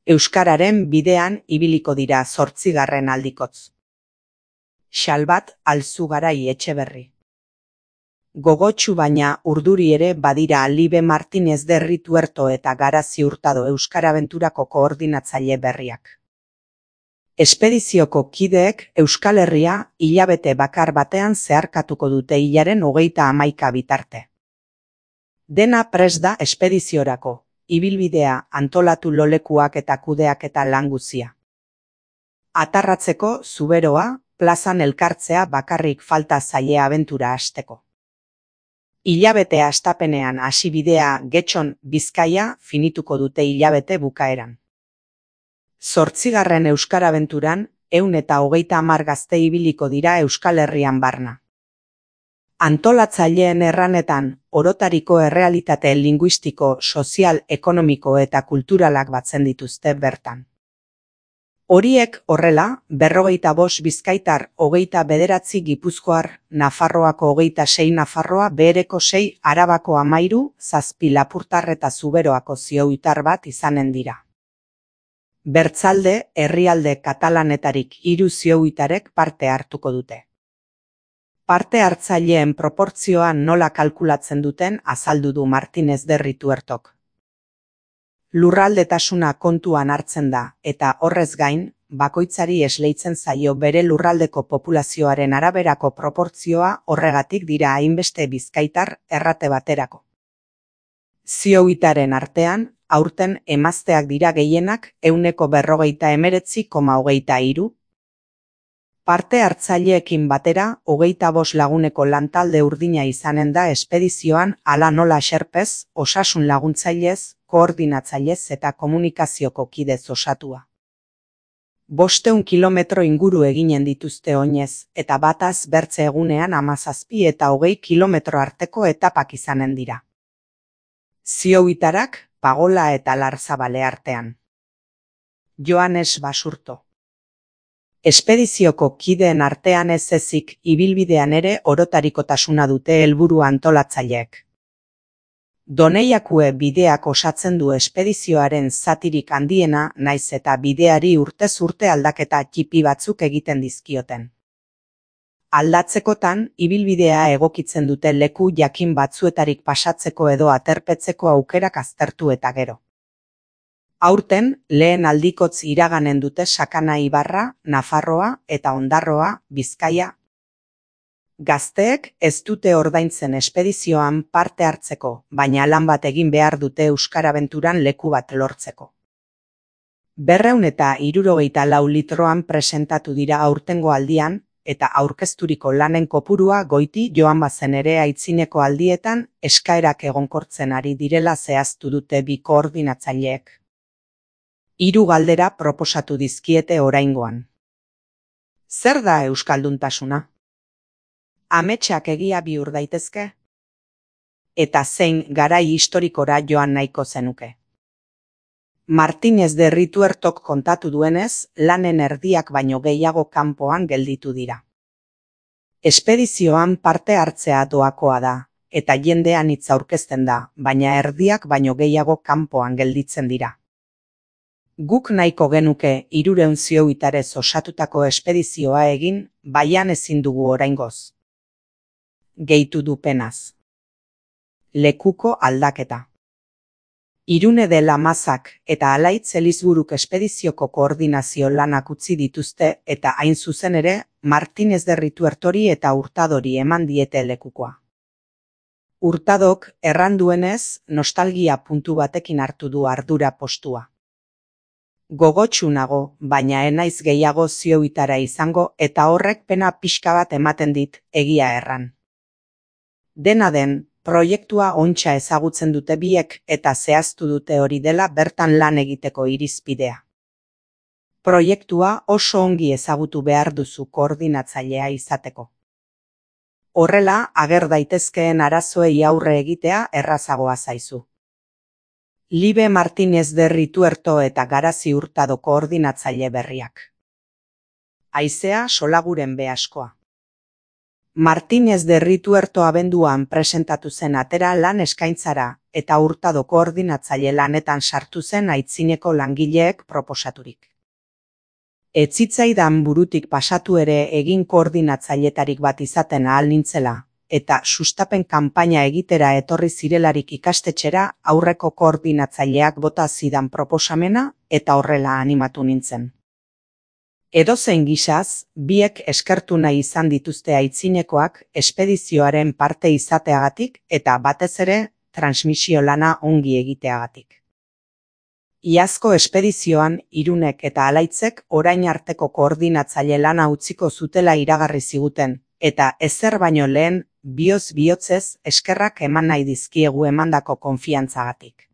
Euskararen bidean ibiliko dira 8. aldikotz. Xalbat Alzugarai Etxeberri. Gogotsu baina urduri ere badira Libe Martinez de Rituerto eta Garazi Hurtado Euskarabenturako koordinatzaile berriak. Espedizioko kideek Euskal Herria hilabete bakar batean zeharkatuko dute hilaren 31 bitarte. Dena prest da espediziorako, ibilbidea antolatu lolekuak eta kudeaketa lan guzia. Atarratzeko zuberoa, plazan elkartzea bakarrik falta zaie abentura hasteko. Hilabete hastapenean hasi bidea Getxon Bizkaia finituko dute hilabete bukaeran. 8. Euskarabenturan 130 gazte ibiliko dira Euskal Herrian barna. Antolatzaileen erranetan, orotariko errealitate linguistiko, sozial, ekonomiko eta kulturalak batzen dituzte bertan. Horiek horrela, 45 bizkaitar, 29 gipuzkoar, Nafarroako 26 Nafarroa, Behereko 6, Arabako 13, 7 Lapurtar eta Zuberoako zioitar bat izanen dira. Bertzalde, herrialde katalanetarik 3 zioitarek parte hartuko dute. Parte hartzaileen proportzioa nola kalkulatzen duten azaldu du Martinez de Rituertok. Lurraldetasuna kontuan hartzen da eta horrez gain, bakoitzari esleitzen zaio bere lurraldeko populazioaren araberako proportzioa horregatik dira hainbeste bizkaitar errate baterako. Zioitaren artean, aurten emazteak dira gehienak 49,23,23. Parte hartzaileekin batera, 25 laguneko lantalde urdina izanen da espedizioan hala nola xerpez, osasun laguntzailez, koordinatzailez eta komunikazioko kidez osatua. 500 kilometro inguru eginen dituzte oinez, eta bataz bertze egunean 17 eta 20 kilometro arteko etapak izanen dira. Zioitarak, Pagola eta Larzabale artean. Joanes Basurto. Espedizioko kideen artean ez ezik ibilbidean ere orotarikotasuna dute helburu antolatzaileek. Doneiakue bideak osatzen du espedizioaren zatirik handiena naiz eta bideari urtez urte aldaketa txipi batzuk egiten dizkioten. Aldatzekotan, ibilbidea egokitzen dute leku jakin batzuetarik pasatzeko edo aterpetzeko aukerak aztertu eta gero. Aurten, lehen aldikotz iraganen dute Sakana Ibarra, Nafarroa eta Ondarroa, Bizkaia. Gazteek ez dute ordaintzen espedizioan parte hartzeko, baina lan bat egin behar dute Euskarabenturan leku bat lortzeko. 264 litroan presentatu dira aurtengo aldian, eta aurkezturiko lanen kopurua goiti joan bazen ere aitzineko aldietan eskaerak egonkortzen ari direla zehaztu dute bi koordinatzaileek. 3 galdera proposatu dizkiete oraingoan. Zer da euskalduntasuna? Ametsak egia bihur daitezke? Eta zein garai historikora joan nahiko zenuke? Martinez de Rituertok kontatu duenez, lanen erdiak baino gehiago kanpoan gelditu dira. Espedizioan parte hartzea doakoa da, eta jendean hitz aurkezten da, baina erdiak baino gehiago kanpoan gelditzen dira. Guk nahiko genuke 300 zioitarez osatutako espedizioa egin, baian ezin dugu oraingoz. Gehitu du penaz. Lekuko aldaketa. Irune de Lamazak eta Alaitz Elizburuk espedizioko koordinazio lanak utzi dituzte eta hain zuzen ere, Martinez de Rituertori eta Hurtadori eman diete lekukoa. Hurtadok erran duenez, nostalgia puntu batekin hartu du ardura postua. Gogotsu nago, baina enaiz gehiago zioitara izango eta horrek pena pixka bat ematen dit, egia erran. Dena den, proiektua ontsa ezagutzen dute biek eta zehaztu dute hori dela bertan lan egiteko irizpidea. Proiektua oso ongi ezagutu behar duzu koordinatzailea izateko. Horrela, ager daitezkeen arazoei aurre egitea errazagoa zaizu. Libe Martinez de Rituerto eta Garazi Hurtado koordinatzaile berriak. Haizea solaguren behaskoa. Martínez de Rituerto abenduan presentatu zen atera lan eskaintzara eta Hurtado koordinatzaile lanetan sartu zen aitzineko langileek proposaturik. Ez zitzaidan burutik pasatu ere egin koordinatzaileetarik bat izaten ahal nintzela, eta sustapen kanpaina egitera etorri zirelarik ikastetxera aurreko koordinatzaileak bota zidan proposamena eta horrela animatu nintzen. Edozein gisaz, biek eskertu nahi izan dituzte aitzinekoak espedizioaren parte izateagatik eta batez ere transmisio lana ongi egiteagatik. Iazko espedizioan Irunek eta Alaitzek orain arteko koordinatzaile lana utziko zutela iragarri ziguten, eta ezer baino lehen bihotz bihotzez eskerrak eman nahi dizkiegu emandako konfiantzagatik.